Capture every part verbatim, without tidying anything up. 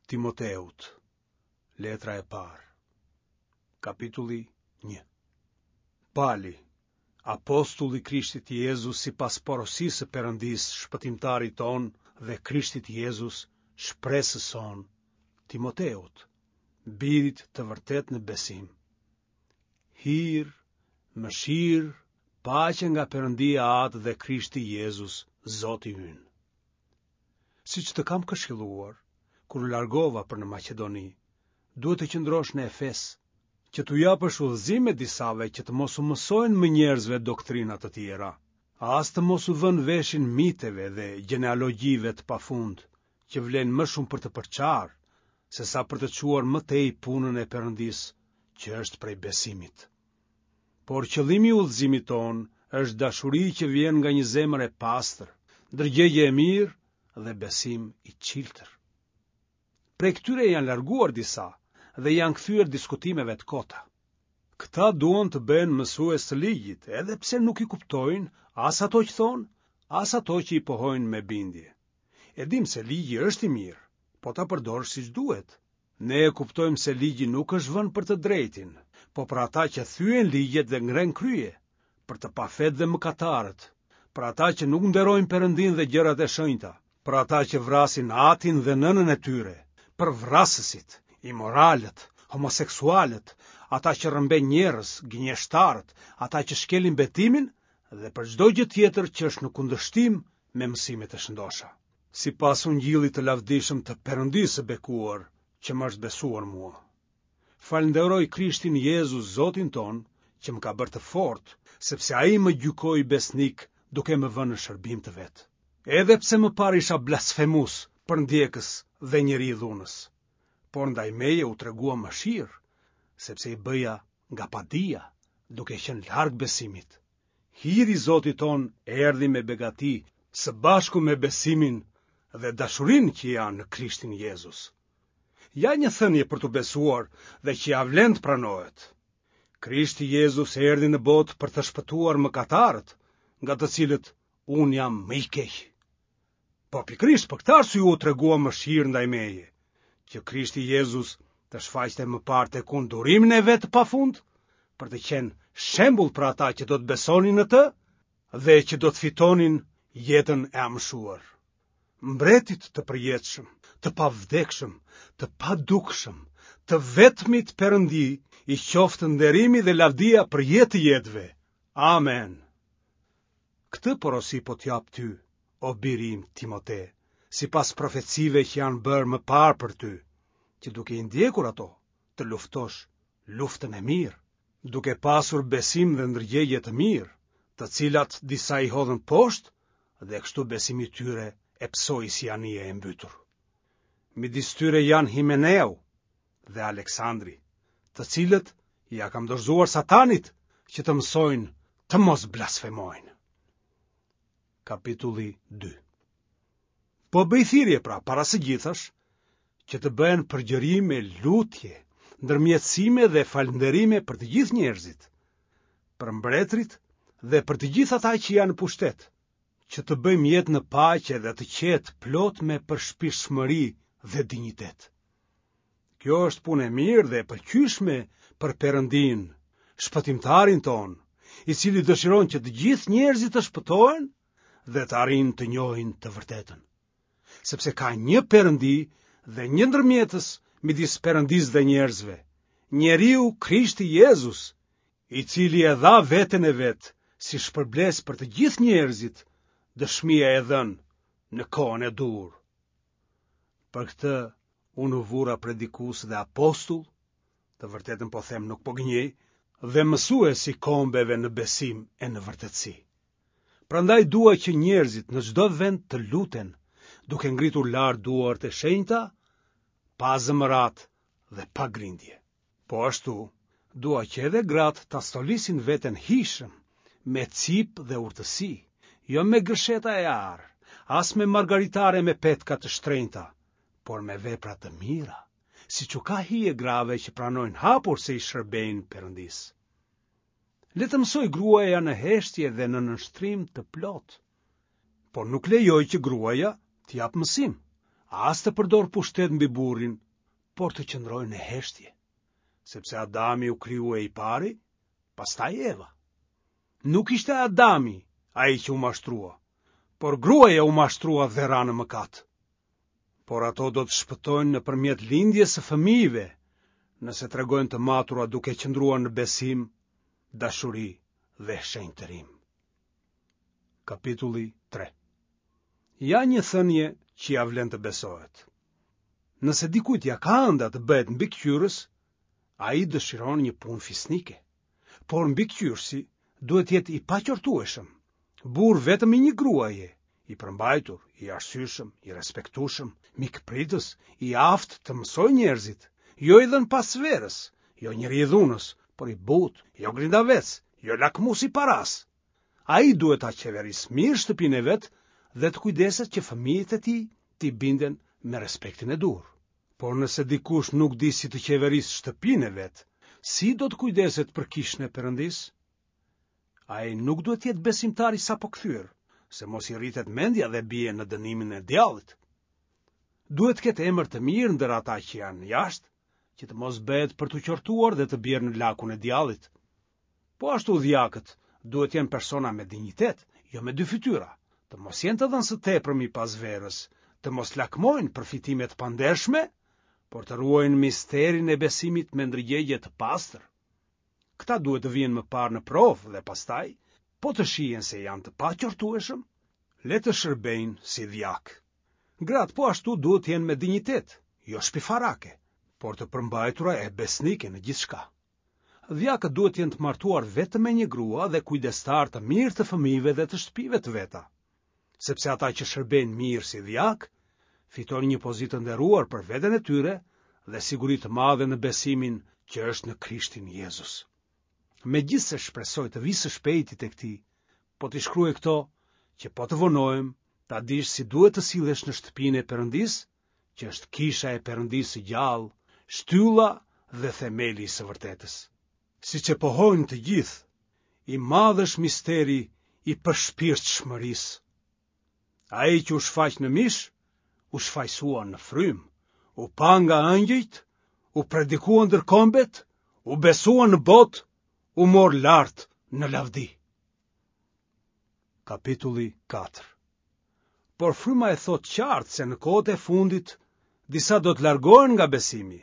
Timoteut, letra e parë, kapitulli një. Pali, apostull i Krishtit Jezus sipas porosisë së Perëndisë, shpëtimtarit tonë dhe Krishtit Jezus, shpresës sonë, Timoteut, birit të vërtetë në besim. Hir, mëshirë, paqe nga Perëndia Atë dhe Krishti Jezus, Zoti ynë. Siç të kam këshilluar, kur u largova për në Maqedoni, duhet të qëndrosh në Efes, që t'u japësh udhëzime disave që të mos u mësojnë më njerëzve doktrina të tjera, as të mos u vënë veshin miteve dhe gjenealogjive të pafund, që vlejnë më shumë për të përçarë, sesa për të çuar më tej punën e Perëndisë, që është prej besimit. Por qëllimi i udhëzimit tonë është dashuri që vjen nga një zemër e pastër, ndërgjegje e mirë dhe besim i çiltër. Prej këtyre janë larguar disa dhe janë kthyer diskutimeve të kota. Këta duan të bëhen mësues të ligjit, edhe pse nuk i kuptojnë as ato që thonë, as ato që i pohojnë me bindje. E dimë se ligji është i mirë, po ta përdorësh siç duhet. Ne e kuptojmë se ligji nuk është vënë për të drejtin, po për ata që thyejnë ligjet dhe ngrenë krye, për të pafetë dhe mëkatarët, për ata që nuk nderojnë Perëndinë dhe gjërat e shenjta, për ata që vrasin atin dhe nënën e tyre, për vrasësit, imoralët, homoseksualët, ata që rrëmbejnë njerëz, gënjeshtarët, ata që shkelin betimin dhe për çdo gjë tjetër që është në kundërshtim me mësimet e shëndosha. Sipas ungjillit të lavdishëm të Perëndisë së bekuar, që më është besuar mua. Falënderoj Krishtin Jezus, Zotin tonë, që më ka bërë të fortë, sepse ai më gjykoi besnik duke më vënë në shërbim të vet. Edhe pse më parë isha blasfemus, përndjekës dhe njeri i dhunës, por ndaj meje u tregua mëshirë, sepse i bëja nga padija, duke qenë larg besimit. Hiri i Zotit tonë erdhi me begati, së bashku me besimin dhe dashurinë që janë në Krishtin Jezus. Ja një thënie për t'u besuar dhe që ia vlen të pranohet. Krishti Jezus erdhi në botë për të shpëtuar mëkatarët, nga të cilët unë jam më i keq. Po pikërisht për këtë arsye u tregua mëshirë ndaj meje, që Krishti Jezus të shfaqte më parë tek unë durimin e vet të pafund, për të qenë shembull për ata që do të besonin në të dhe që do të fitonin jetën e amshuar. Mbretit të përjetshëm, të pavdekshëm, të padukshëm, të vetmit Perëndi, i qoftë nderimi dhe lavdia për jetë të jetëve. Amen. Këtë porosi po t'jap ty, o biri im Timote, sipas profecive që janë bërë më parë për ty, që duke i ndjekur ato, të luftosh luftën e mirë, duke pasur besim dhe ndërgjegje të mirë, të cilat disa i hodhën poshtë dhe kështu besimi i tyre e pësoi si anije e mbytur. Midis tyre janë Himeneu dhe Aleksandri, të cilët ia kam dorëzuar Satanit që të mësojnë të mos blasfemojnë. Kapitulli dy. Po bëj thirrje pra para së gjithash që të bëhen përgjërime, lutje, ndërmjetësime dhe falënderime për të gjithë njerëzit, për mbretërit dhe për të gjithë ata që janë në pushtet, që të bëjmë jetë në paqe dhe të qetë plot me përshpirtshmëri dhe dinjitet. Kjo është punë e mirë dhe e pëlqyeshme për Perëndinë, shpëtimtarin tonë, i cili dëshiron që të gjithë njerëzit të shpëtohen dhe të arrijnë të njohin të vërtetën. Sepse ka një Perëndi dhe një ndërmjetës midis Perëndisë dhe njerëzve, njeriu Krishti Jezus, i cili e dha veten e vet si shpërblesë për të gjithë njerëzit, dëshmia e dhënë në kohën e duhur. Për këtë unë u vura predikues dhe apostull, të vërtetën po them nuk po gënjej, dhe mësues i kombeve në besim e në vërtetësi. Prandaj dua që njerëzit në çdo vend të luten, duke ngritur lart duart e shenjta, pa zemëratë dhe pa grindje. Po ashtu, dua që edhe gratë ta stolisin veten hijshëm, me cipë dhe urtësi, jo me gërsheta e ar, as me margaritare me petka të shtrenjta, por me vepra të mira, siç u ka hije grave që pranojnë hapur se i shërbejnë Perëndisë. Le të mësojë gruaja në heshtje dhe në nënshtrim të plotë. Por nuk lejoj që gruaja të japë mësim, as të përdorë pushtet mbi burrin, por të qëndrojë në heshtje, sepse Adami u krijua i pari, pastaj Eva. Nuk ishte Adami ai që u mashtrua, por gruaja u mashtrua dhe ra në mëkat. Por ato do të shpëtojnë nëpërmjet lindjes së fëmijëve, nëse tregohen të matura duke qëndruar në besim, dashuri dhe shenjtërim. Kapitulli tre. Ja një thënie që ia vlen të besohet. Nëse dikujt ia ka ënda të bëhet mbikëqyrës, ai dëshiron një punë fisnike. Por mbikëqyrësi duhet të jetë i paqortueshëm, burrë vetëm i një gruaje, i përmbajtur, i arsyeshëm, i respektueshëm, mikpritës, i aftë të mësojë njerëzit, jo i dhënë pas verës, jo njeri i dhunës, por i butë, jo grindavec, jo lakmues i parasë. Ai duhet ta qeverisë mirë shtëpinë e vet dhe të kujdeset që fëmijët e tij t'i binden me respektin e duhur. Por nëse dikush nuk di si të qeverisë shtëpinë e vet, si do të kujdeset për kishën e Perëndisë? Ai nuk duhet të jetë besimtar i sapokthyer, se mos i rritet mendja dhe bie në dënimin e djallit. Duhet të ketë emër të mirë ndër ata që janë jashtë, që të mos bëhet për t'u qortuar dhe të bjerë në lakun e djallit. Po ashtu dhjakët duhet të jenë persona me dinjitet, jo me dy fytyra, të mos jenë të dhënë së tepërmi pas verës, të mos lakmojnë përfitime të pandershme, por të ruajnë misterin e besimit me ndërgjegje të pastër. Këta duhet të vihen më parë në provë dhe pastaj, po të shihen se janë të paqortueshëm, le të shërbejnë si dhjakë. Gratë po ashtu duhet të jenë me dinjitet, jo shpifarake, por të përmbajtura e besnike në gjithçka. Dhjakët duhet të jenë të martuar vetëm me një grua dhe kujdestarë të mirë të fëmijëve dhe të shtëpive të veta, sepse ata që shërbejnë mirë si dhjakë, fitojnë një pozitë të nderuar për veten e tyre dhe siguri të madhe në besimin që është në Krishtin Jezus. Megjithëse shpresoj të vij së shpejti tek ti, po t'i shkruaj këto që po të vonohem, ta dish si duhet të sillesh në shtëpinë e Perëndisë, që është kisha e Perëndisë së gjallë, shtylla dhe themeli i së vërtetës. Siç e pohojnë të gjithë, i madh është misteri i përshpirtshmërisë. Ai që u shfaq në mish, u shfajësua në frymë, u pa nga ëngjëjt, u predikua ndër kombet, u besua në botë, u mor lart në lavdi. Kapitulli katër. Por fryma e thotë qartë se në kohët e fundit disa do të largohen nga besimi,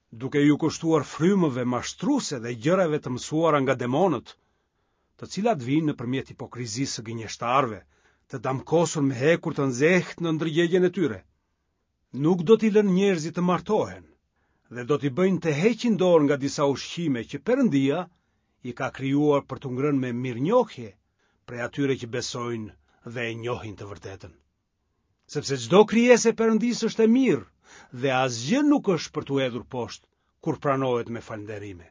duke iu kushtuar frymëve mashtruse dhe gjërave të mësuara nga demonët, të cilat vijnë nëpërmjet hipokrizisë së gënjeshtarëve, të damkosur me hekur të nxehtë në ndërgjegjen e tyre. Nuk do t'i lënë njerëzit të martohen dhe do t'i bëjnë të heqin dorë nga disa ushqime që Perëndia i ka krijuar për t'u ngrënë me mirënjohje prej atyre që besojnë dhe e njohin të vërtetën. Sepse çdo krijesë e Perëndisë është e mirë dhe asgjë nuk është për t'u hedhur poshtë kur pranohet me falënderime,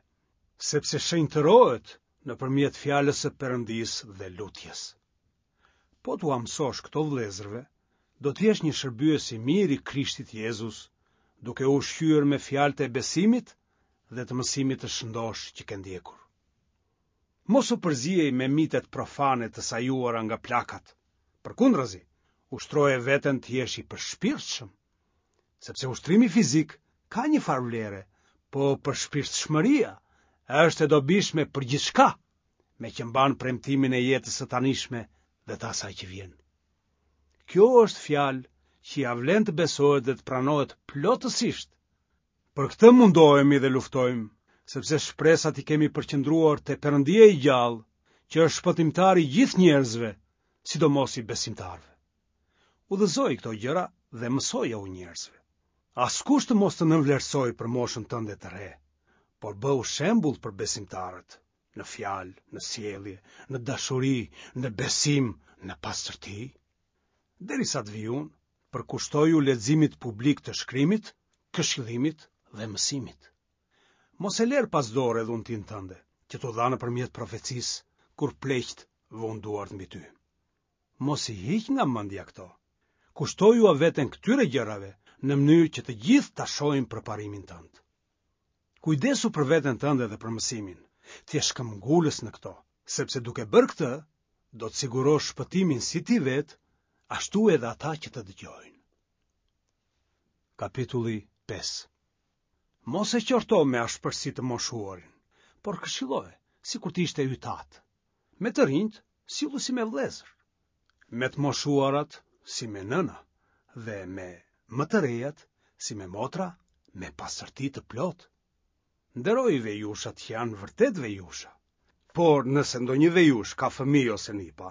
sepse shenjtërohet nëpërmjet fjalës së Perëndisë dhe lutjes. Po t'ua mësosh këto vëllezërve, do të jesh një shërbyes i mirë i Krishtit Jezus, duke u ushqyer me fjalët e besimit dhe të mësimit të shëndoshë që ke ndjekur. Mos u përziej me mitet profane të sajuara nga plakat. Përkundrazi, ushtroje veten të jesh i përshpirtshëm, sepse ushtrimi fizik ka një farë vlere, po përshpirtshmëria është e dobishme për gjithçka, meqë mban premtimin e jetës së tanishme dhe të asaj që vjen. Kjo është fjalë që ia vlen të besohet dhe të pranohet plotësisht. Për këtë mundohemi dhe luftojmë, sepse shpresat i kemi përqendruar te Perëndia i gjallë, që është shpëtimtari i gjithë njerëzve, sidomos i besimtarëve. Udhëzoji këto gjëra dhe mësojau njerëzve. Askush të mos të nënvlerësojë për moshën tënde të re, por bëhu shembull për besimtarët, në fjalë, në sjellje, në dashuri, në besim, në pastërti. Derisa të vij unë, përkushtoju leximit publik të shkrimit, këshillimit dhe mësimit. Mos e lër pas dore dhuntinë tënde, që t'u dha nëpërmjet profecisë, kur pleqtë vunë duart mbi ty. Mos i hiq nga mendja këto. Kushtojua veten këtyre gjërave në mënyrë që të gjithë ta shohin përparimin tënd. Kujdesu për veten tënde dhe për mësimin, të jesh këmbgulës në këto, sepse duke bërë këtë, do të sigurosh shpëtimin si ti vetë, ashtu edhe ata që të dëgjojnë. Kapitulli pesë. Mos e qorto me ashpërsi të moshuarin, por këshilloje, sikur të ishte yt atë. Me të rinjtë, sillu si me vëllezër. Me të moshuarat, si me nëna, dhe me më të rejat, si me motra, me pastërti të plotë. Nderoji vejushat që janë vërtet vejusha. Por nëse ndonjë vejushë ka fëmijë ose nipa,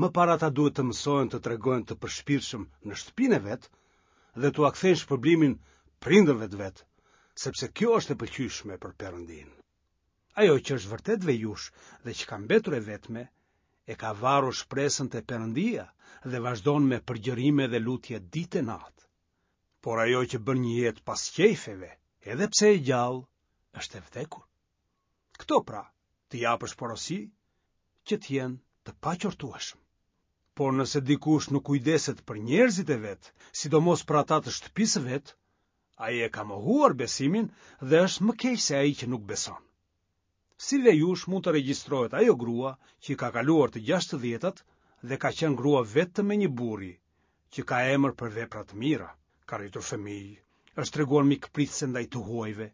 më parë ata duhet të mësohen të tregohen të përshpirtshëm në shtëpinë e vet dhe t'ua kthejnë shpërblimin prindërve të vet, sepse kjo është e pëlqyeshme për Perëndinë. Ajo që është vërtet vejushë dhe që ka mbetur e vetme, e ka varur shpresën te Perëndia dhe vazhdon me përgjërime dhe lutje ditë e natë. Por ajo që bën një jetë pas qejfeve, edhe pse e gjallë, është e vdekur. Këto pra, të japësh porosi, që të jenë të paqortueshëm. Por nëse dikush nuk kujdeset për njerëzit e vet, sidomos për ata të shtëpisë së vet, ai e ka mohuar besimin dhe është më keq se ai që nuk beson. Si vejushë mund të regjistrohet ajo grua që i ka kaluar të gjashtëdhjetat dhe ka qenë grua vetëm e një burri, që ka emër për vepra të mira, ka rritur fëmijë, është treguar mikpritëse ndaj të huajve,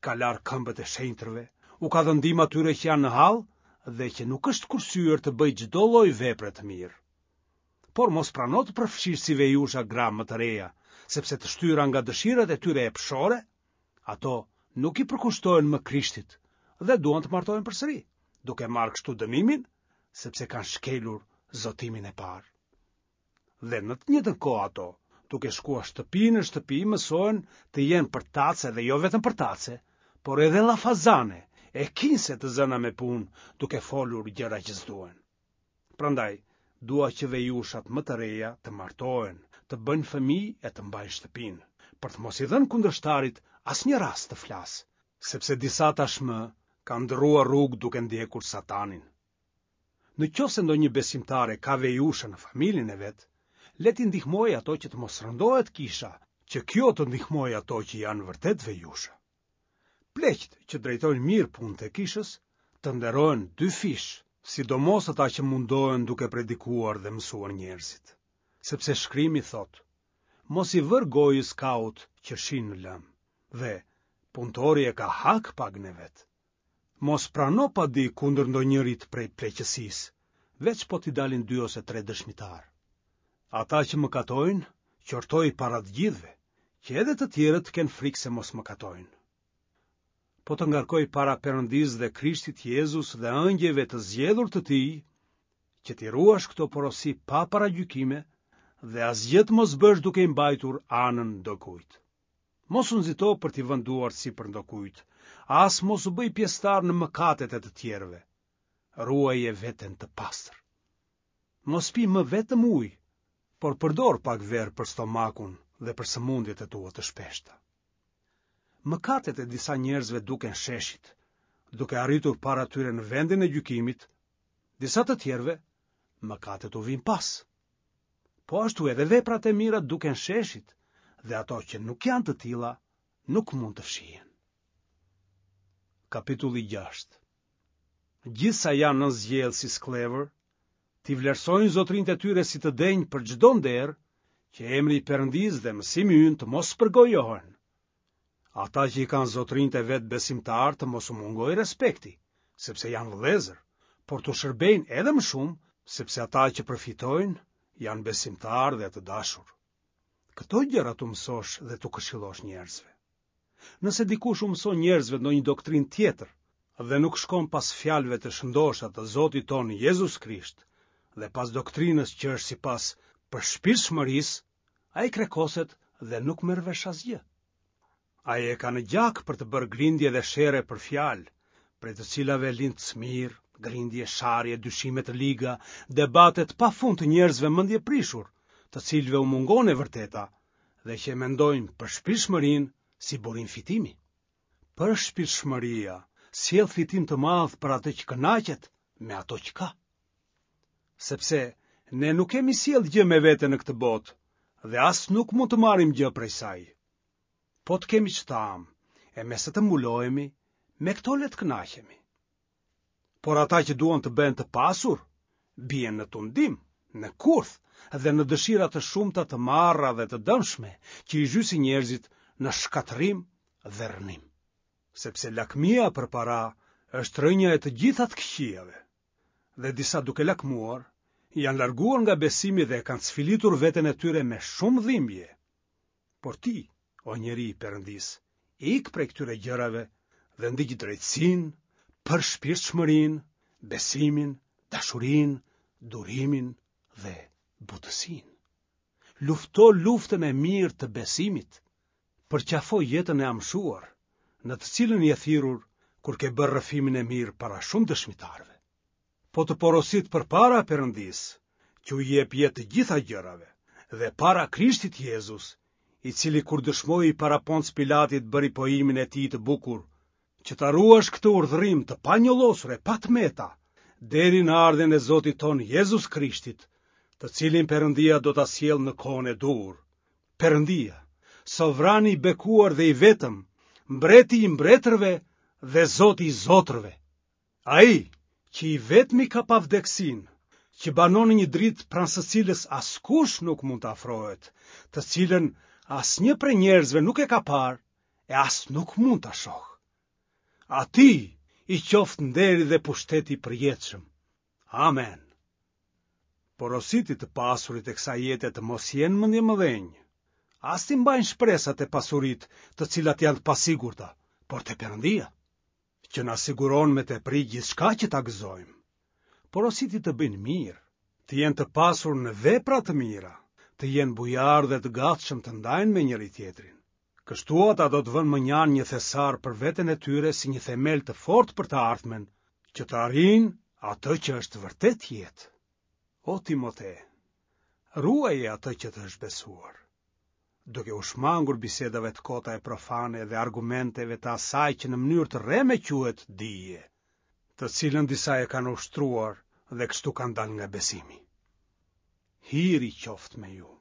ka larë këmbët e shenjtërve, u ka dhënë ndihmë atyre që janë në hall dhe që nuk është kursyer të bëjë çdo lloj vepre të mirë. Por mos prano të përfshish si vejusha gra më të reja, sepse të shtyra nga dëshirat e tyre epshore, ato nuk i përkushtohen më Krishtit dhe duan të martohen përsëri, duke marrë kështu dënimin, sepse kanë shkelur zotimin e parë. Dhe në të njëjtën kohë ato, duke shkuar shtëpi në shtëpi, mësohen të jenë përtace dhe jo vetëm përtace, por edhe llafazane, e kinse të zëna me punë, duke folur gjëra që s'duhen. Prandaj, dua që vejushat më të reja të martohen, të bëjnë fëmijë e të mbajnë shtëpinë, për të mos i dhënë kundërshtarit asnjë rast të flasë, sepse disa tashmë kanë ndërruar rrugë duke ndjekur Satanin. Në qoftë se ndonjë besimtare ka vejusha në familjen e vet, le t'i ndihmojë ato që të mos rëndohet kisha, që kjo të ndihmojë ato që janë vërtet vejusha. Pleqtë që drejtojnë mirë punët e kishës, të nderohen dyfish, sidomos ata që mundohen duke predikuar dhe mësuar njerëzit. Sepse shkrimi thotë, mos i vër gojës kaut që shin në lëmë, dhe punëtori e ka hak pagën e vet. Mos prano padi kundër ndonjërit prej pleqësisë, veç po t'i dalin dy ose tre dëshmitarë. Ata që mëkatojnë, qortoi para të gjithëve, që edhe të tjerët të kenë frikë se mos mëkatojnë. Po të ngarkoj para Perëndisë dhe Krishtit Jezus dhe ëngjëjve të zgjedhur të tij, që t'i ruash këto porosi pa paragjykime dhe asgjë të mos bësh duke i mbajtur anën ndokujt. Mos u nxito për t'i vënë duart sipër ndokujt, as mos u bëj pjesëtar në mëkatet e të tjerëve. Ruaje veten të pastër. Mos pi më vetëm ujë, por përdor pak verë për stomakun dhe për sëmundjet e tua të shpeshta. Mëkatet e disa njerëzve duken sheshit, duke arritur para tyre në vendin e gjykimit, disa të tjerëve mëkatet u vijnë pas. Po ashtu edhe veprat e mira duken sheshit, dhe ato që nuk janë të tilla nuk mund të fshihen. Kapitulli gjashtë. Gjithë sa janë nën zgjellë si skllevër, t'i vlerësojnë zotërinjtë e tyre si të denjë për çdo nder, që emri i Perëndisë dhe mësimi ynë të mos përgojohen. Ata që i kanë zotërinjtë e vet besimtarë të mos u mungojë respekti, sepse janë vëllezër, por t'u shërbejnë edhe më shumë, sepse ata që përfitojnë janë besimtarë dhe të dashur. Këto gjëra t'u mësosh dhe t'u këshillosh njerëzve. Nëse dikush u mëson njerëzve ndonjë doktrinë tjetër dhe nuk shkon pas fjalëve të shëndosha të Zotit tonë Jezus Krisht dhe pas doktrinës që është sipas përshpirtshmërisë, ai krekoset dhe nuk merr vesh asgjë. Ai e ka në gjak për të bërë grindje dhe sherre për fjalë, prej të cilave lind smirë, grindje, sharje, dyshime të liga, debate të pafund të njerëzve mendjeprishur, të cilëve u mungon e vërteta dhe që e mendojnë përshpirtshmërinë si burim fitimi. Përshpirtshmëria sjell fitim të madh për atë që kënaqet me ato që ka. Sepse ne nuk kemi sjellë gjë me vete në këtë botë dhe as nuk mund të marrim gjë prej saj. Po të kemi ç'të hamë, e me se të mbulohemi, me këto le të kënaqemi. Por ata që duan të bëhen të pasur, bien në tundim, në kurth dhe në dëshira të shumta të marra dhe të dëmshme, që i zhysin njerëzit në shkatërrim dhe rrënim. Sepse lakmia për para është rrënja e të gjitha të këqijave. Dhe disa duke lakmuar, janë larguar nga besimi dhe e kanë sfilitur veten e tyre me shumë dhimbje. Por ti, o njeri i Perëndisë, ik prej këtyre gjërave dhe ndiq drejtësinë, përshpirtshmërinë, besimin, dashurinë, durimin dhe butësinë. Lufto luftën e mirë të besimit, përqafo jetën e amshuar, në të cilën je thirrur kur ke bërë rrëfimin e mirë para shumë dëshmitarëve. Po të porosit përpara Perëndisë, që u jep jetë të gjitha gjërave, dhe para Krishtit Jezus, i cili kur dëshmoi para Ponc Pilatit bëri pohimin e tij të bukur, që ta ruash këtë urdhërim të panjollosur e pa të meta, deri në ardhjen e Zotit tonë Jezus Krishtit, të cilin Perëndia do ta sjellë në kohën e duhur. Perëndia, sovrani i bekuar dhe i vetëm, mbreti i mbretërve dhe Zoti i zotërve. Ai që i vetmi ka pavdekësinë, që banon në një dritë pranë së cilës askush nuk mund të afrohet, të cilën asnjë prej njerëzve nuk e ka parë e as nuk mund ta shohë. Atij i qoftë nderi dhe pushteti i përjetshëm. Amen. Porositi të pasurit e kësaj jete të mos jenë mendjemëdhenj, as t'i mbajnë shpresat te pasuritë, të cilat janë të pasigurta, por te Perëndia, që na siguron me tepri gjithçka që ta gëzojmë. Porositi të bëjnë mirë, të jenë të pasur në vepra të mira, të jenë bujarë dhe të gatshëm të ndajnë me njëri-tjetrin. Kështu ata do të vënë mënjanë një thesar për veten e tyre si një themel të fortë për të ardhmen, që të arrijnë atë që është vërtet jetë. O Timote, ruaje atë që të është besuar, duke u shmangur bisedave të kota e profane dhe argumenteve të asaj që në mënyrë të rreme quhet dije, të cilën disa e kanë ushtruar dhe kështu kanë dalë nga besimi. Hiri qoftë me ju.